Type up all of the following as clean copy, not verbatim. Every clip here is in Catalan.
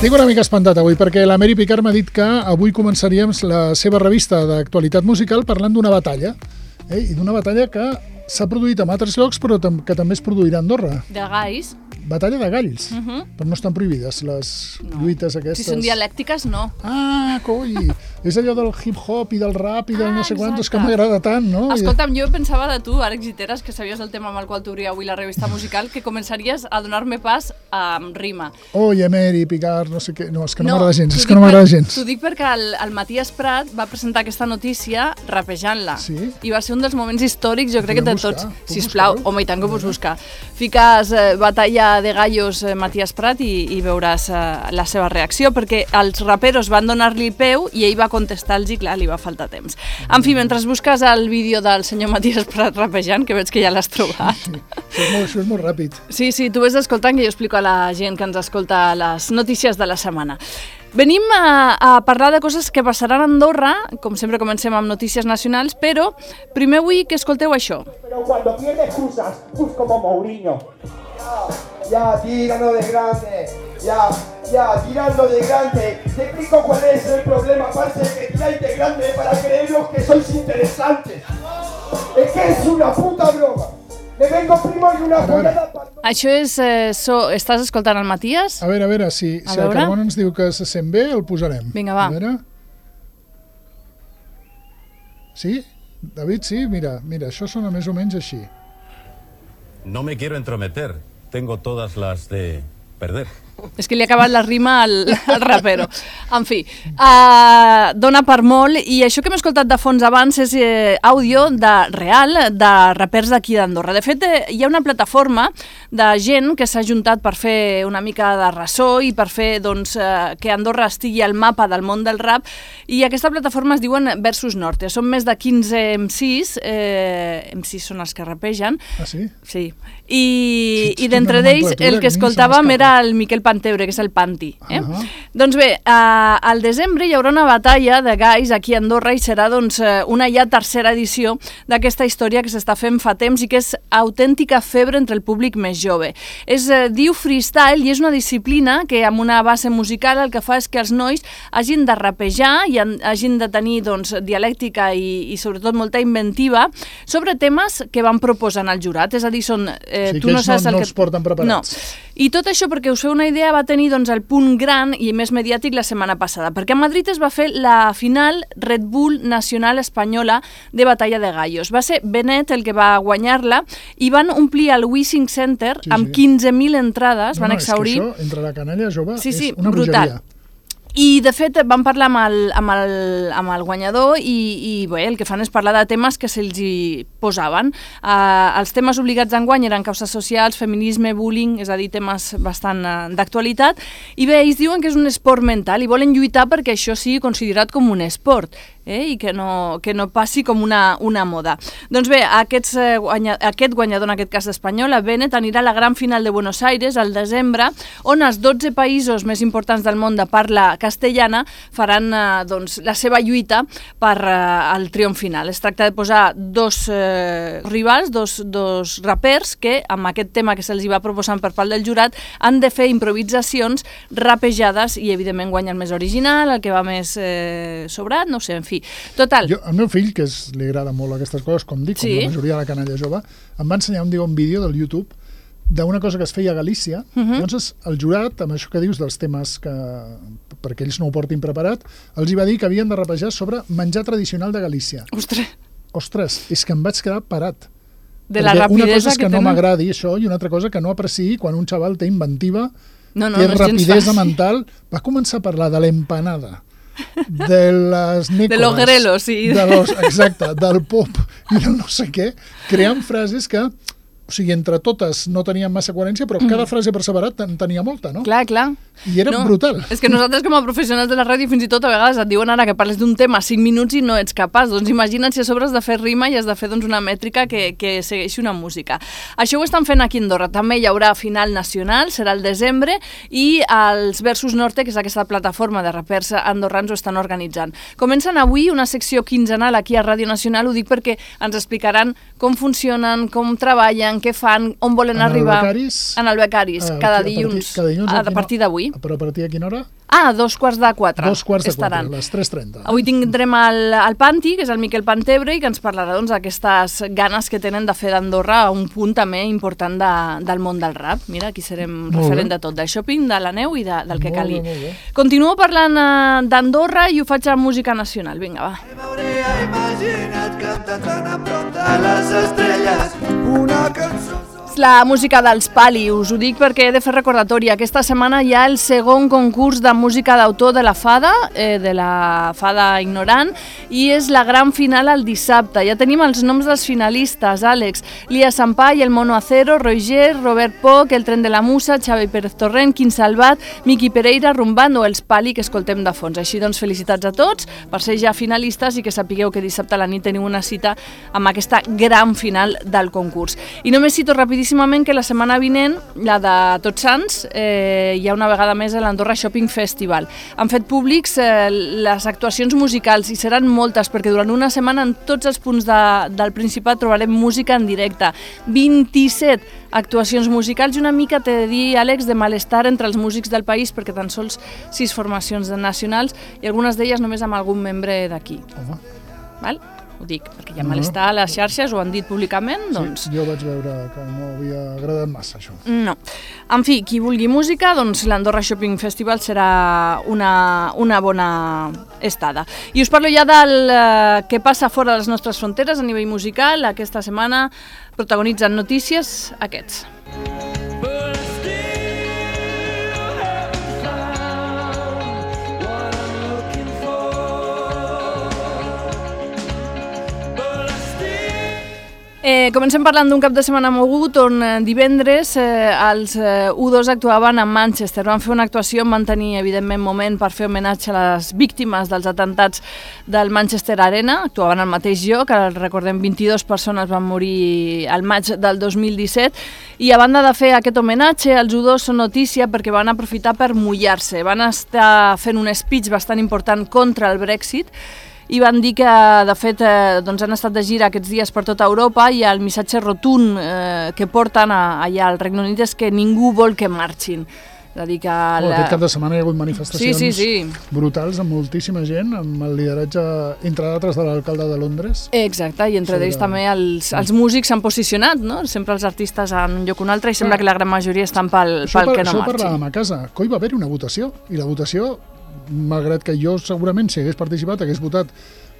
Estic una mica espantat avui perquè la Mary Picard m'ha dit que avui començaríem la seva revista d'actualitat musical parlant d'una batalla, i d'una batalla que s'ha produït en altres llocs però que també es produirà a Andorra. De galls. Batalla de galls, però no estan prohibides les lluites aquestes. Si són dialèctiques, no. Ah, coi! És allò del hip-hop i del rap i del no sé quantos que m'agrada tant, no? Escolta'm, jo pensava de tu, Àlex Giteras, que sabies el tema amb el qual t'obria avui la revista musical, que començaries a donar-me pas amb rima. Oye, Mary Picard, no sé què... No, és que no m'agrada gens, és que no m'agrada gens. T'ho dic perquè el Matías Prat va presentar aquesta notícia rapejant-la. Sí? I va ser un dels moments històrics, jo crec que de tots. Sisplau, buscar-ho? home, i tant que ho pots buscar. Fiques batalla de gallos Matías Prat i veuràs la seva reacció, perquè els raperos van donar-li peu i ell va contestar-los i clar, li va faltar temps. En fi, mentre busques el vídeo del senyor Matías Prat rapejant, que veig que ja l'has trobat. Sí, això és molt ràpid. Sí, tu vés escoltant, que jo explico a la gent que ens escolta les notícies de la setmana. Venim a parlar de coses que passaran a Andorra, com sempre comencem amb notícies nacionals, però primer vull que escolteu això. Pero cuando tiene excusas, pues como Mourinho. Ya, tirando de grande. Ya, tirando de grande. Te explico cuál es el problema, aparte de que tiráis de grande para creeros que sois interesantes. Es que es una puta broma. Me vengo primo y una pollada... Això és... Estàs escoltant el Matías? A veure, si el Carmona ens diu que se sent bé, el posarem. Vinga, va. A veure... Sí? David, sí? Mira, això sona més o menys així. No me quiero entrometer. Tengo todas las de perder. És que li ha acabat la rima al rapero. En fi, dona per molt, i això que hem escoltat de fons abans és àudio real de rapers d'aquí d'Andorra. De fet, hi ha una plataforma de gent que s'ha juntat per fer una mica de ressò i per fer que Andorra estigui al mapa del món del rap, i aquesta plataforma es diuen Versus Norte. Són més de 15 MCs, MCs són els que rapegen. Ah, sí? Sí. I d'entre d'ells el que escoltàvem era el Miquel Pantebre, que és el Panti. Doncs bé, al desembre hi haurà una batalla de galls aquí a Andorra i serà una ja tercera edició d'aquesta història que s'està fent fa temps i que és autèntica febre entre el públic més jove. Es diu freestyle i és una disciplina que amb una base musical el que fa és que els nois hagin de rapejar i hagin de tenir dialèctica i sobretot molta inventiva sobre temes que van proposant al jurat. És a dir, són... Sí, que ells no els porten preparats. No. I tot això, perquè us feu una idea, va tenir el punt gran i més mediàtic la setmana passada, perquè a Madrid es va fer la final Red Bull Nacional Espanyola de Batalla de Gallos. Va ser Benet el que va guanyar-la i van omplir el Wishing Center amb 15.000 entrades, van exhaurir... És que això, entre la canalla jove, és una brutal. bogeria. I, de fet, vam parlar amb el guanyador i bé, el que fan és parlar de temes que se'ls hi posaven. Els temes obligats d'enguany eren causes socials, feminisme, bullying, és a dir, temes bastant d'actualitat. I bé, ells diuen que és un esport mental i volen lluitar perquè això sigui considerat com un esport i que no passi com una moda. Doncs bé, aquest guanyador, en aquest cas espanyol, Benet, anirà a la gran final de Buenos Aires al desembre, on els 12 països més importants del món de parla castellana faran la seva lluita per al triomf final. Es tracta de posar dos rivals, dos rapers que, amb aquest tema que se'ls va proposant per part del jurat, han de fer improvisacions rapejades i, evidentment, guanya el més original, el que va més sobrat, no sé, en fi. Total. El meu fill, que li agrada molt aquestes coses, com dic, com la majoria de la canalla jove, em va ensenyar un vídeo del YouTube d'una cosa que es feia a Galícia. Llavors, el jurat, amb això que dius dels temes que, perquè ells no ho portin preparat, els hi va dir que havien de rapejar sobre menjar tradicional de Galícia. Ostres, és que em vaig quedar parat. De la rapidesa una cosa és que no tenen... m'agradi això i una altra cosa que no apreciï quan un xaval té inventiva, té rapidesa mental. Va començar a parlar de l'empanada, de les nécoras, de los grelos, sí. Exacte, del pop i del no sé què, creant frases que, o sigui, entre totes no tenien massa coherència, però cada frase per separat en tenia molta, no? Clar. I era brutal. És que nosaltres com a professionals de la ràdio fins i tot a vegades et diuen ara que parles d'un tema 5 minuts i no ets capaç. Doncs imagina't si a sobre has de fer rima i has de fer una mètrica que segueixi una música. Això ho estan fent aquí a Andorra. També hi haurà final nacional, serà el desembre, i els Versus Norte, que és aquesta plataforma de rapers andorrans, ho estan organitzant. Comencen avui una secció quinzenal aquí a Ràdio Nacional, ho dic perquè ens explicaran com funcionen, com treballen, què fan, on volen arribar. En el Becaris, cada dilluns, a partir d'avui. Però a partir de quina hora? Ah, 3:45. 2:45, estaran. les 3:30. Avui tindrem el Panti, que és el Miquel Pantebre, i que ens parlarà d'aquestes ganes que tenen de fer d'Andorra un punt també important del món del rap. Mira, aquí serem referent de tot, del shopping, de la neu i del que calgui. Molt bé. Continuo parlant d'Andorra i ho faig amb música nacional. Vinga, va. Imagina't cantant tan a prop de les estrelles una cançó. La música dels Pali, us ho dic perquè he de fer recordatori. Aquesta setmana hi ha el segon concurs de música d'autor de la Fada Ignorant, i és la gran final el dissabte. Ja tenim els noms dels finalistes: Àlex, Lia Sampai, El Mono Acero, Roger, Robert Poch, El Tren de la Musa, Xavi Pérez Torrent, Quim Salvat, Miqui Pereira, Rumbando o els Pali que escoltem de fons. Així doncs, felicitats a tots per ser ja finalistes i que sapigueu que dissabte a la nit teniu una cita amb aquesta gran final del concurs. I només cito rapidíssimament que la setmana vinent, la de Tots Sants, hi ha una vegada més a l'Andorra Shopping Festival. Han fet públics les actuacions musicals i seran moltes, perquè durant una setmana en tots els punts del Principat trobarem música en directe. 27 actuacions musicals i una mica, t'he de dir, Àlex, de malestar entre els músics del país, perquè tan sols 6 formacions nacionals i algunes d'elles només amb algun membre d'aquí. Val? Ho dic, perquè hi ha malestar a les xarxes, ho han dit públicament, doncs... Sí, jo vaig veure que no havia agradat massa, això. No. En fi, qui vulgui música, doncs l'Andorra Shopping Festival serà una bona estada. I us parlo ja del que passa fora de les nostres fronteres a nivell musical. Aquesta setmana protagonitzen notícies aquests. Comencem parlant d'un cap de setmana mogut on divendres els U2 actuaven a Manchester. Van fer una actuació, van tenir evidentment moment per fer homenatge a les víctimes dels atentats del Manchester Arena. Actuaven al mateix lloc, recordem 22 persones van morir al maig del 2017 i a banda de fer aquest homenatge, els U2 són notícia perquè van aprofitar per mullar-se. Van estar fent un speech bastant important contra el Brexit i van dir que, de fet, han estat de gira aquests dies per tota Europa i el missatge rotund que porten allà al Regne Unit és que ningú vol que marxin. És a dir que... Aquest cap de setmana hi ha hagut manifestacions brutals amb moltíssima gent, amb el lideratge, entre d'altres, de l'alcalde de Londres. Exacte, i entre ells també els músics s'han posicionat, no? Sempre els artistes en un lloc o un altre i sembla que la gran majoria estan pel que no marxin. Això parlàvem a casa, que hi va haver una votació, i la votació, malgrat que jo segurament, si hagués participat, hagués votat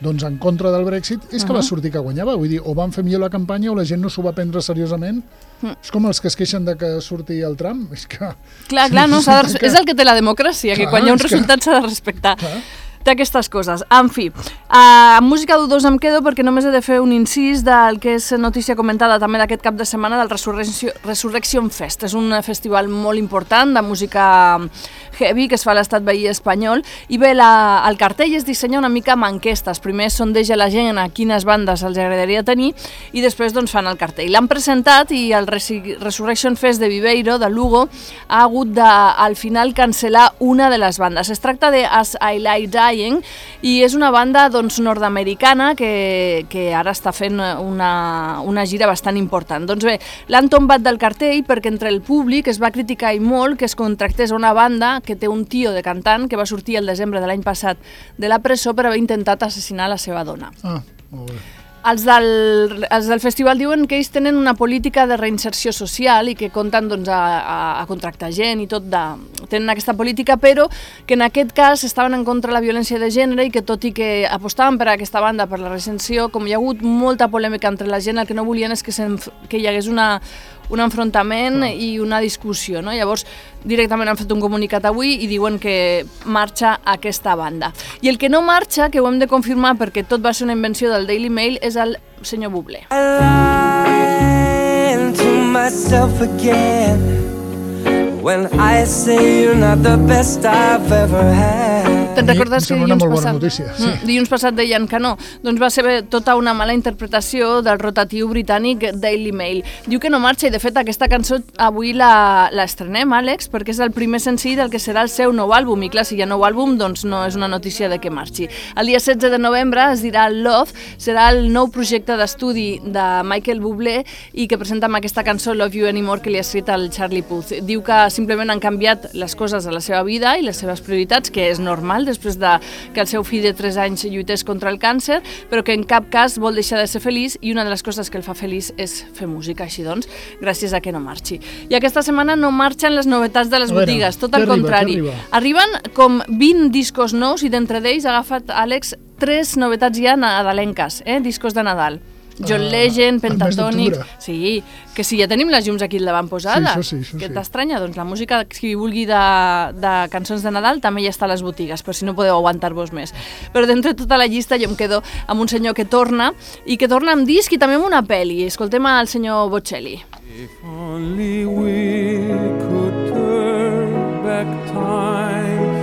en contra del Brexit, és que va sortir que guanyava. Vull dir, o van fer millor la campanya o la gent no s'ho va prendre seriosament. És com els que es queixen de que surti el Trump. És que... Clar, no, és el que té la democràcia, que quan hi ha un resultat s'ha de respectar. Té aquestes coses. En fi, amb música d'U2 em quedo perquè només he de fer un incís del que és notícia comentada també d'aquest cap de setmana del Resurrection Fest. És un festival molt important de música heavy que es fa a l'estat veí espanyol i bé, el cartell es dissenya una mica amb enquestes. Primer sondeja la gent a quines bandes els agradaria tenir i després fan el cartell. L'han presentat i el Resurrection Fest de Viveiro, de Lugo, ha hagut de al final cancel·lar una de les bandes. Es tracta de As I Lie Dying i és una banda nord-americana que ara està fent una gira bastant important. Doncs bé, l'han tombat del cartell perquè entre el públic es va criticar i molt que es contractés una banda que té un tio de cantant que va sortir el desembre de l'any passat de la presó per haver intentat assassinar la seva dona. Molt bé. Els del festival diuen que ells tenen una política de reinserció social i que compten a contractar gent i tot, tenen aquesta política, però que en aquest cas estaven en contra de la violència de gènere i que tot i que apostaven per aquesta banda, per la reinserció, com hi ha hagut molta polèmica entre la gent, el que no volien és que hi hagués un enfrontament i una discussió, no? Llavors, directament han fet un comunicat avui i diuen que marxa aquesta banda. I el que no marxa, que ho hem de confirmar perquè tot va ser una invenció del Daily Mail, és el senyor Bublé. When I say you're not the best I've ever had. Te'n recordes que dilluns passat deien que no? Doncs va ser tota una mala interpretació del rotatiu britànic Daily Mail. Diu que no marxa i de fet aquesta cançó avui l'estrenem, Àlex, perquè és el primer senzill del que serà el seu nou àlbum i clar, si hi ha nou àlbum doncs no és una notícia de que marxi. El dia 16 de novembre es dirà Love, serà el nou projecte d'estudi de Michael Bublé i que presenta amb aquesta cançó Love You Anymore que li ha escrit el Charlie Puth. Diu que simplement han canviat les coses a la seva vida i les seves prioritats, que és normal després de que el seu fill de 3 anys lluités contra el càncer, però que en cap cas vol deixar de ser feliç i una de les coses que el fa feliç és fer música, així doncs, gràcies a que no marxi. I aquesta setmana no marxen les novetats de les botigues, tot al contrari. Arriben com 20 discos nous i d'entre d'ells ha agafat, Àlex, 3 novetats ja nadalenques, discos de Nadal. John Legend, Pentatonix... Sí, que sí, ja tenim les llums aquí al davant posades. Sí, això sí. Què t'estranya? Doncs la música, qui vulgui de cançons de Nadal, també ja està a les botigues, però si no podeu aguantar-vos més. Però d'entre tota la llista jo em quedo amb un senyor que torna, i que torna amb disc i també amb una pel·li. Escoltem al senyor Bocelli. If only we could turn back time,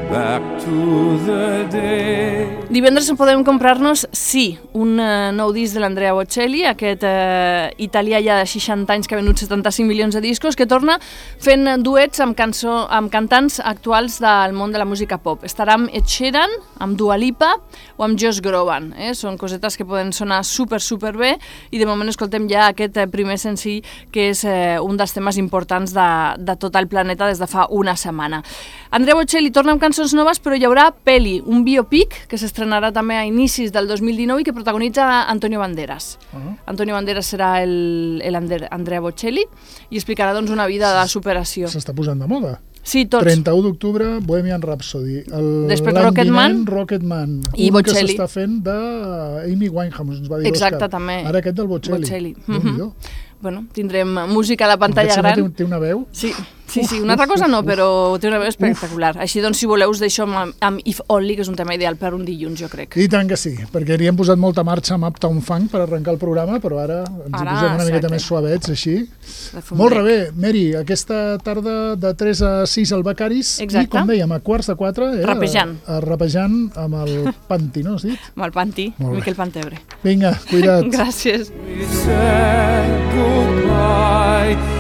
back to the day. Divendres podem comprar-nos, sí, un nou disc de l'Andrea Bocelli, aquest italià ja de 60 anys que ha venut 75 milions de discos, que torna fent duets amb cantants actuals del món de la música pop. Estarà amb Ed Sheeran, amb Dua Lipa o amb Josh Groban. Són cosetes que poden sonar super bé i de moment escoltem ja aquest primer senzill que és un dels temes importants de tot el planeta des de fa una setmana. Andrea Bocelli torna amb cançons noves, però hi haurà pel·li, un biopic que s'estrenarà també a inicis del 2019 i que protagonitza Antonio Banderas. Antonio Banderas serà l'Andrea Bocelli i explicarà doncs, una vida de superació. S'està posant de moda. Sí, tots. 31 d'octubre, Bohemian Rhapsody. Després Rocketman. I un Bocelli. Que s'està fent d'Amy Winehouse, ens va dir Exacte, l'Òscar. també. Ara aquest del Bocelli. Bueno, tindrem música a la pantalla gran. Té una veu? Sí, una altra cosa no, però té una veu espectacular. Així doncs, si voleu, us deixo amb If Only, que és un tema ideal per un dilluns, jo crec. I tant que sí, perquè hi hem posat molta marxa amb Uptown Funk per arrencar el programa, però ara ens hi posem una miqueta més suavets, així. Molt bé, Mary, aquesta tarda de 3 a 6 al Becaris, i com dèiem, a 3:45, rapejant amb el Panti, no has dit? Amb el Panti, Miquel Pantebre. Vinga, cuida't. Gràcies. We said goodbye.